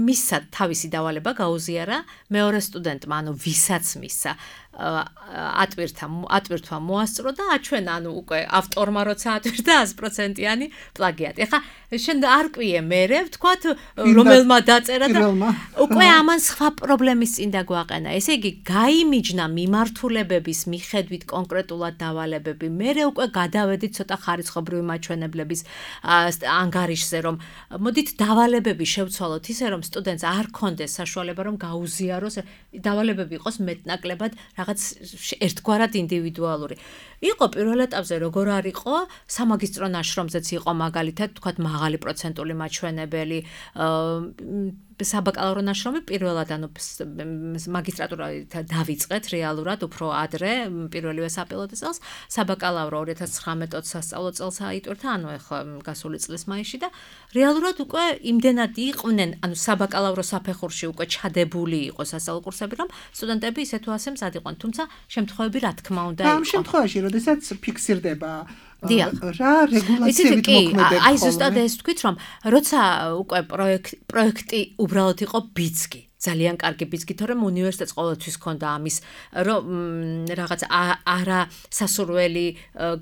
[SPEAKER 5] მისცა თავისი დავალება გაუზიარა მეორე სტუდენტმა, ანუ ვისაც მისცა ატვირთა ატვირთვა მოასწრო და აჩვენა ანუ უკვე ავტორმა როცა ატვირთა sto პროცენტიანი პლაგიატი. ეხა შენ არ ყვიე მერე ვთქვათ რომელმა დაწერა და უკვე ამან სხვა პრობლემის წინ დაგვაყენა. ესე იგი გაიმიჯნა მიმართულებების მიხედვით კონკრეტულად დავალებები. მერე უკვე გადავედით ცოტა ხარისხობრივი მაჩვენებლების ანგარიშზე რომ მოდით დავალებები შევცვალოთ ისე რომ სტუდენტს არ კონდეს საშუალება რომ გაუზიაროს დავალებები იყოს მეტნაკლებად რაღაც ერთგვარად ინდივიდუალური. იყო პირველ ეტაპზე როგორ არ იყო სამაგისტრო ნაშრომზეც იყო მაგალითად თქვათ მაღალი პროცენტული მაჩვენებელი საბაკალავრო ნაშრომი პირველად ანუ მაგისტრატურა დავიწყეთ რეალურად უფრო ადრე პირველივე საპილოტო წელს საბაკალავრო ორი ათას ცხრამეტ ოცი სასწავლო წელს აიტვირთა ანუ ახლა გასული წლის მაისში და რეალურად უკვე იმდენად იყვნენ ანუ საბაკალავრო საფეხურში უკვე ჩადებული იყო სასწავლო კურსები რომ სტუდენტები ისე თუ ასე მზად იყვნენ თუმცა შემთხვევები რა თქმა უნდა იყო
[SPEAKER 4] ამ შემთხვევაში როდესაც ფიქსირდება
[SPEAKER 5] დიახ
[SPEAKER 4] რა რეგულაციებით მოქმედებს
[SPEAKER 5] აი ზუსტად ეს თქვით რომ როცა უკვე პროექტი უბრალოდ იყო ბიძგი ძალიან კარგი ბიძგი თორემ უნივერსიტეტს ყოველთვის ჰქონდა ამის რომ რაღაც არა სასურველი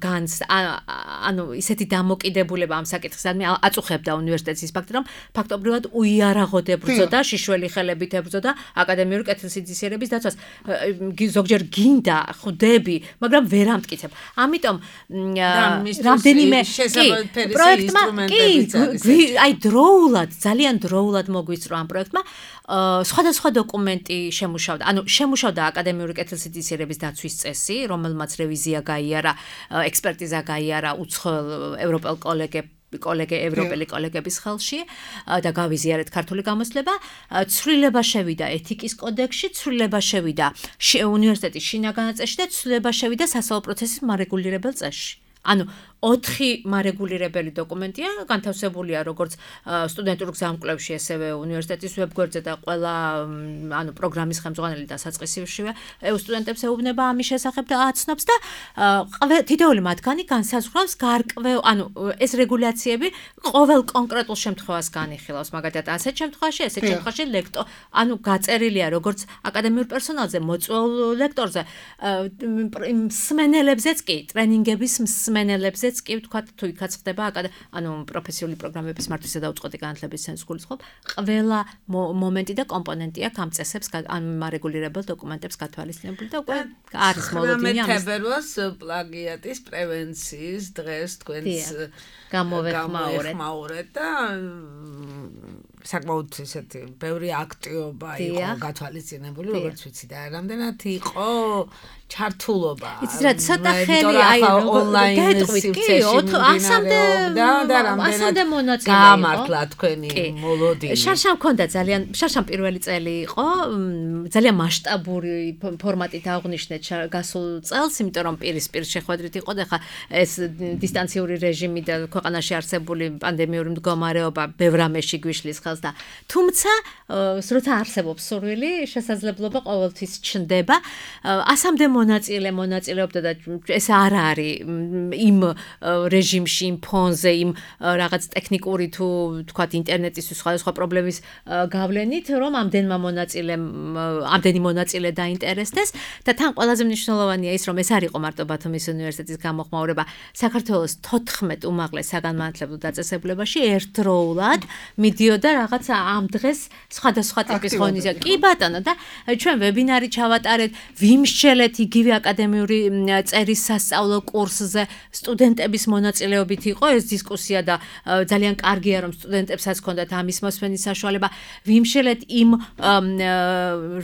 [SPEAKER 5] განს ანუ ისეთი დამოკიდებულება ამ საკითხის მე აწუხებდა უნივერსიტეტის ის ფაქტი რომ ფაქტობრივად უიარაღოდ ებრძოდა შიშველი ხელებით ებრძოდა აკადემიური კეთილსინდისიერების დაცვას ზოგჯერ გინდა ხვდები მაგრამ ვერ ამტკიცებ ამიტომ რამდენიმე პროექტმა კი აი დროულად ძალიან დროულად მოგვიწრო ამ პროექტმა სხვადასხვა დოკუმენტი შემუშავდა. ანუ შემუშავდა აკადემიური კეთილსინდისიერების დაცვის წესი, რომელმაც რევიზია გაიარა, ექსპერტიზა გაიარა უცხოელ ევროპელ კოლეგებს კოლეგე ევროპელი კოლეგების ხელში და გავიზიარეთ ქართული გამოცდილება, ცვლილება შევიდა ეთიკის კოდექსში, ცვლილება შევიდა უნივერსიტეტის შინაგან წესში და ცვლილება შევიდა სასწავლო პროცესის მარეგულირებელ წესში. ანუ ოთხი მარეგულირებელი დოკუმენტია, განთავსებულია როგორც სტუდენტურ გზამკვლევში, ასევე უნივერსიტეტის ვებგვერდზე და ყველა ანუ პროგრამის ხელმძღვანელი და საწყისშივე სტუდენტებს ეუბნება ამის შესახებ და აცნობს და თითოეული მათგანი განსაზღვრავს გარკვეულ ანუ ეს რეგულაციები ყოველ კონკრეტულ შემთხვევას განიხილავს, მაგალითად ასეთ შემთხვევაში, ესეთ შემთხვევაში ლექტორ ანუ გაწერილია როგორც აკადემიურ პერსონალზე, მოწვეულ ლექტორზე, მსმენელებზეც კი, ტრენინგების მსმენელებზეც კი ვთქვათ თუ იქაც ხდება ანუ პროფესიული პროგრამების მართვისა და უწყოთი განათლების ცენტრის გულისხმობ ყველა მომენტი და კომპონენტი აქვს ამ წესებს ამ მარეგულირებელ დოკუმენტებს გათვალისწინებული და უკვე არის მოლოდინი ამის
[SPEAKER 3] თებერვალს პლაგიატის პრევენციის დღეს თქვენს
[SPEAKER 5] გამოვეხმაურეთ
[SPEAKER 3] და საკმაოდ ისეთი ბევრი აქტივობა იყო გათვალისწინებული როგორც ვიცი და რამდენად იყო ჩართულობა
[SPEAKER 5] იცით რა ცოტა ხელი აი
[SPEAKER 3] ონლაინ
[SPEAKER 5] ასამდე
[SPEAKER 3] და რამდენად გამართლა თქვენი მოლოდინი
[SPEAKER 5] შარშამ მქონდა ძალიან შარშამ პირველი წელი იყო ძალიან მასშტაბური ფორმატით აღნიშნეთ გასულ წელს იმიტომ რომ პირისპირ შეხვედრით იყო და ხა ეს დისტანციური რეჟიმი და ქვეყანაში არსებული პანდემიური მდგომარეობა ბევრ ამაში გვიშლის ხელს და თუმცა როცა არსებობს სურვილი შესაძლებლობა ყოველთვის ჩნდება ასამდე მონაწილე მონაწილეობდა და ეს არ არის იმ რეჟიმში იმ ფონზე იმ რაღაც ტექნიკური თუ თქვათ ინტერნეტის სხვადასხვა პრობლემის გავლენით რომ ამდენმა მონაწილემ ამდენი მონაწილე დაინტერესდეს და თან ყველაზე მნიშვნელოვანია ის რომ ეს არ იყო მარტო ბათუმის უნივერსიტეტის გამოხმაურება საქართველოს თოთხმეტ უმაღლეს საგანმანათლებლო დაწესებულებაში ერთდროულად მიდიოდა რაღაცა ამ დღეს სხვადასხვა ტიპის ღონისძიება. კი ბატონო და ჩვენ ვებინარი ჩავატარეთ, ვიმსჯელეთ იგივე აკადემიური წერის სასწავლო კურსზე სტუდენტების მონაწილეობით იყო ეს დისკუსია და ძალიან კარგია რომ სტუდენტებსაც ჰქონდათ ამის მოსმენის საშუალება. ვიმსჯელეთ იმ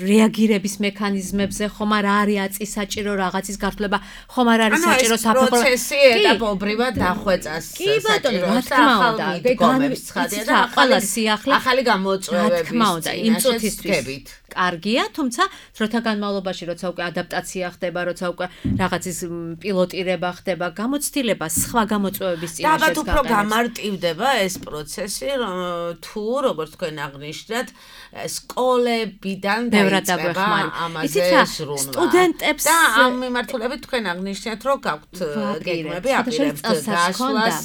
[SPEAKER 5] რეაგირების მექანიზმებზე, ხომ არ არის აწი საჭირო რაღაცის გართულება, ხომ არ არის საჭირო საფეხური
[SPEAKER 3] პროცესი ეტაპობრივად დახვეწას საჭიროებს და ახალ მიდგომებს ცხადია და ახალი
[SPEAKER 5] სიახლე
[SPEAKER 3] ახალი გამოწვევების
[SPEAKER 5] იმ წუთისთვის კარგია, თუმცა დროთა განმავლობაში როცა უკვე ადაპტაცია ხდება, როცა უკვე რაღაცის პილოტირება ხდება, გამოცდილება სხვა გამოწვევების წინაშეც
[SPEAKER 3] გაყენებს. და უფრო გამარტივდება ეს პროცესი, თუ როგორც თქვენ აღნიშნეთ, სკოლებიდან დაიწყება ამაზე ზრუნვა.
[SPEAKER 5] სტუდენტებს
[SPEAKER 3] და ამ მიმართულებით თქვენ აღნიშნეთ, რომ გაქვთ გეგმები აპირებთ გასვლას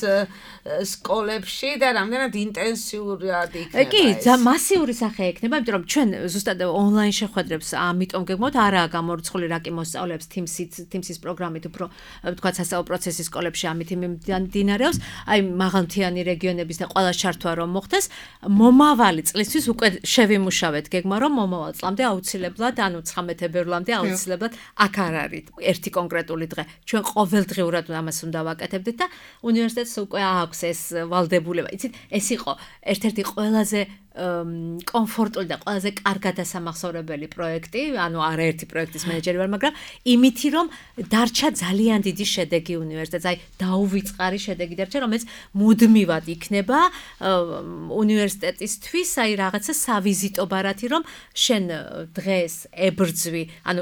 [SPEAKER 3] სკოლებში და რამდენად ინტენსიურად იქნება.
[SPEAKER 5] კი, მასიური სახე ექნება, იმიტომ რომ ჩვენ ზუსტად ონლაინ შეხვედრებს ამიტომ გეგმოთ, არაა გამორიცხული რაკი მოსწავლეებს Teams-ით, Teams-ის პროგრამით უფრო თქვა სასწავლო პროცესის სკოლებში ამით მიმდინარეობს, აი მაღალმთიანი რეგიონების და ყველა ჩართვა რომ მოხდეს, მომავალი წლისთვის უკვე შევიმუშავეთ გეგმა, რომ მომავალ წლამდე აუცილებლად, ანუ ცხრამეტ თებერვლამდე აუცილებლად აქ არ არის ერთი კონკრეტული დღე. ჩვენ ყოველდღიურად ამას უნდა ვაკეთებდეთ და უნივერსიტეტს უკვე აქვს ეს ვალდებულება. იცით, ეს იყო ერთ-ერთი ყველაზე კომფორტული და ყველაზე კარგად დასამახსოვრებელი პროექტი, ანუ არაერთი პროექტის მენეჯერი ვარ, მაგრამ იმითი რომ დარჩა ძალიან დიდი შედეგი უნივერსიტეტს, აი დაუვიწყარი შედეგი დარჩა, რომელიც მუდმივად იქნება უნივერსიტეტისთვის, აი რაღაცა სავიზიტო ბარათი, რომ შენ დღეს ებრძვი, ანუ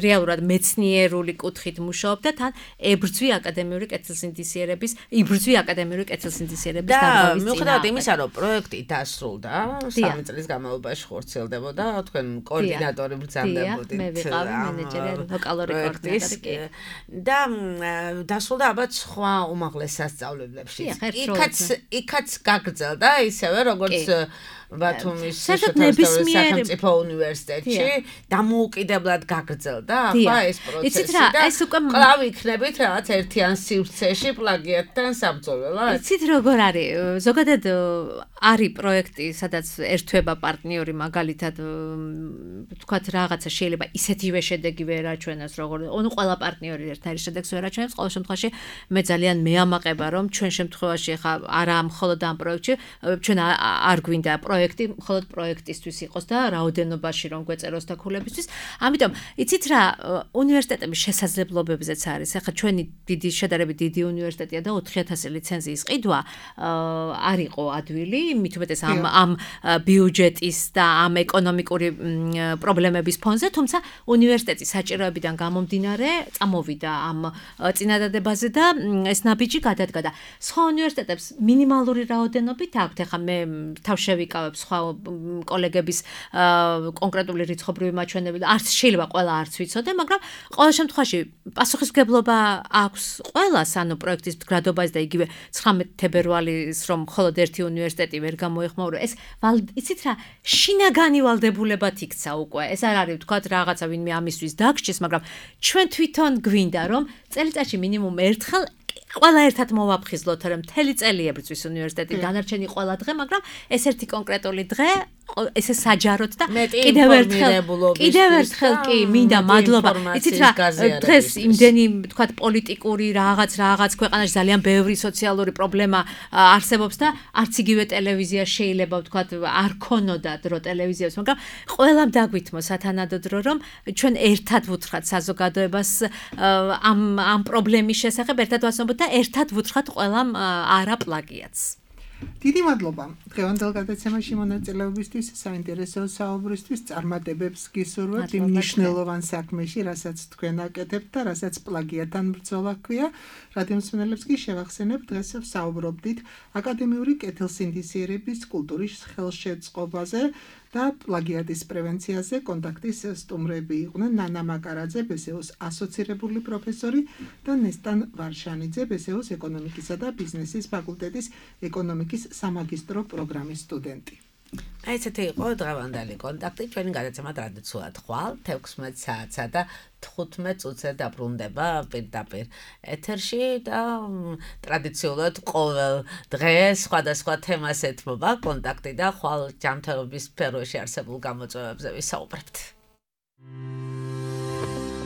[SPEAKER 5] რეალურად მეცნიერული კუთხით მუშაობ და თან ებრძვი აკადემიური კეთილსინდისიერების, იბრძვი აკადემიური კეთილსინდისიერების დარღვევის წინააღმდეგ.
[SPEAKER 3] მიუხედავად იმისა, რომ პროექტი დასრულდა და სამი წლის განმავლობაში ხორციელდებოდა, თქვენ კოორდინატორი ბრძანდებოდით.
[SPEAKER 5] მე ვიყავი მენეჯერი, ლოკალური კოორდინატორი.
[SPEAKER 3] და დასრულდა ალბათ სხვა უმაღლეს სასწავლებლებში. იქაც იქაც გაგრძელდა ისევე როგორც ბათუმის სახელმწიფო უნივერსიტეტში დამოუკიდებლად გაგრძელდა ახლა ეს პროცესი და კვლავ იქნებით რაღაც ერთიან სივრცეში პლაგიატთან საბრძოლველად.
[SPEAKER 5] იცით როგორ არის? ზოგადად არის პროექტი, სადაც ერთვება პარტნიორი მაგალითად თქვათ რაღაცა შეიძლება ისეთივე შედეგი ვერ აჩვენოს, როგორ ანუ ყველა პარტნიორი ერთნაირი შედეგს ვერ აჩვენებს. ყოველ შემთხვევაში მე ძალიან მეამაყება რომ ჩვენ შემთხვევაში ახლა არა მხოლოდ ამ პროექტში, ჩვენ არ გვინდა პროექტი მხოლოდ პროექტისთვის იყოს და რაოდენობაში რომ გვეწეროს და ქულებისთვის. ამიტომ იცით რა, უნივერსიტეტების შესაძლებლობებზეც არის. ახლა ჩვენი დიდი შედარებით დიდი უნივერსიტეტია და ოთხი ათასი ლიცენზიის ყიდვა არ იყო ადვილი, მით უმეტეს ამ ამ ბიუჯეტის და ამ ეკონომიკური პრობლემების ფონზე, თუმცა უნივერსიტეტის საჭიროებიდან გამომდინარე წამოვიდა ამ წინადადებაზე და ეს ნაბიჯი გადადგა და სხვა უნივერსიტეტებს მინიმალური რაოდენობით აქვთ. ახლა მე თავ შევიკავებ სხვა კოლეგების კონკრეტული რიცხობრივი მაჩვენებელი და არც შეიძლება ყველა არც ვიცოდე, მაგრამ ყოველ შემთხვევაში პასუხისმგებლობა აქვს ყველას, ანუ პროექტის მდგრადობაზე და იგივე ცხრამეტ თებერვალის რომ მხოლოდ ერთი უნივერსიტეტი ვერ გამოეხმაურა. ეს იცით რა, შინაგანი ვალდებულებად იქცა უკვე. ეს არ არის ვთქვათ რაღაცა ვინმე ამისთვის დაგჭირს, მაგრამ ჩვენ თვითონ გვინდა რომ წელიწადში მინიმუმ ერთხელ ყველა ერთად მოვაფხიზლოთ, რომ მთელი წელი ებრძვის უნივერსიტეტი, დანარჩენი ყველა დღე, მაგრამ ეს ერთი კონკრეტული დღე ესე საჯაროდ და კიდევ ერთხელ კიდევ ერთხელ კი მინდა მადლობა. იცით რა, დღეს იმდენი ვთქვათ პოლიტიკური რაღაც რაღაც ქვეყანაში ძალიან ბევრი სოციალური პრობლემა არსებობს და არც იგივე ტელევიზია შეიძლება ვთქვათ არ ქონოდა დრო ტელევიზიას, მაგრამ ყველამ დაგვითმო სათანადო დრო რომ ჩვენ ერთად ვუთხრათ საზოგადოებას ამ ამ პრობლემის შესახებ, ერთად ვაცნობოთ და ერთად ვუთხრათ ყველამ არა პლაგიატს.
[SPEAKER 4] დიდი მადლობა დღევანდელ გადაცემაში მონაწილეობისთვის, საინტერესო საუბრისთვის, წარმატებებს გისურვებთ იმ მნიშვნელოვან საქმეში, რასაც თქვენ აკეთებთ და რასაც პლაგიატთან ბრძოლა ჰქვია. რადიომსმენელებს კი შევახსენებ, დღეს ვსაუბრობდით აკადემიური კეთილსინდისიერების კულტურის ხელშეწყობაზე და პლაგიატის პრევენციაზე. კონტაქტის სტუმრები იყვნენ ნანა მაკარაძე, ბესეოს ასოცირებული პროფესორი და ნესტან ვარშანიძე, ბესეოს ეკონომიკისა და ბიზნესის ფაკულტეტის ეკონომიკის სამაგისტრო პროგრამის სტუდენტი.
[SPEAKER 3] აი ესეთი იყო დღევანდელი კონტაქტი, ჩვენი გადაცემა ტრადიციულად ხვალ თექვსმეტ საათსა და თხუთმეტ წუთზე დაბრუნდება პირდაპირ ეთერში და ტრადიციულად ყოველ დღეს სხვადასხვა თემას ეთმობა კონტაქტი და ხვალ ჯანმრთელობის სფეროში არსებულ გამოწვევებზე ვისაუბრებთ.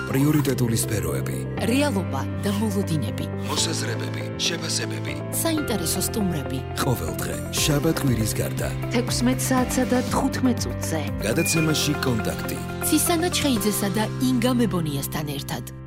[SPEAKER 1] პრიორიტეტული სფეროები,
[SPEAKER 2] რეალობა და მოლოდინები,
[SPEAKER 1] მოსაზრებები, შეფასებები,
[SPEAKER 2] საინტერესო სტუმრები.
[SPEAKER 1] ყოველ დღე შაბათ კვირის გარდა
[SPEAKER 2] თექვსმეტ საათსა და თხუთმეტ წუთზე.
[SPEAKER 1] გადაცემაში კონტაქტი.
[SPEAKER 2] ცისანა ჩხეიძესა და ინგა მებონიასთან ერთად.